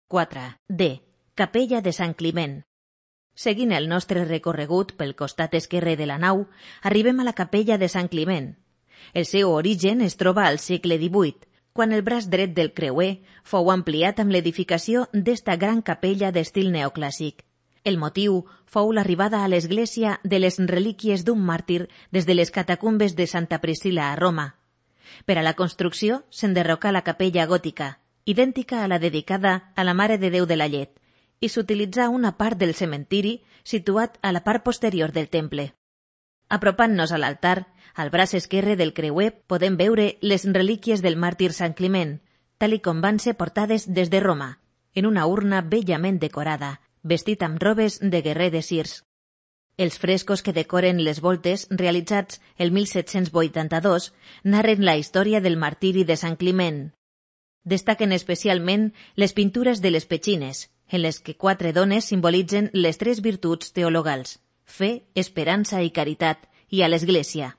4. D. Capella de Sant Climent. Seguint el nostre recorregut pel costat esquerre de la nau, arribem a la capella de Sant Climent. El seu origen es troba al segle XVIII, quan el braç dret del creuer fou ampliat amb l'edificació d'esta gran capella d'estil neoclàssic. El motiu fou l'arribada a l'església de les relíquies d'un màrtir des de les catacumbes de Santa Priscila a Roma. Per a la construcció s'enderrocà la capella gòtica, idèntica a la dedicada a la Mare de Déu de la Llet, i s'utilitzà una part del cementiri situat a la part posterior del temple. Apropant-nos a l'altar, al braç esquerre del creuer podem veure les relíquies del màrtir Sant Climent, tal i com van ser portades des de Roma, en una urna bellament decorada, vestit amb robes de guerrer de Cirs. Els frescos que decoren les voltes, realitzats el 1782, narren la història del martiri de Sant Climent. Destaquen especialment les pintures de les petxines, en les que 4 dones simbolitzen les 3 virtuts teologals: fe, esperança i caritat, i a l'Església.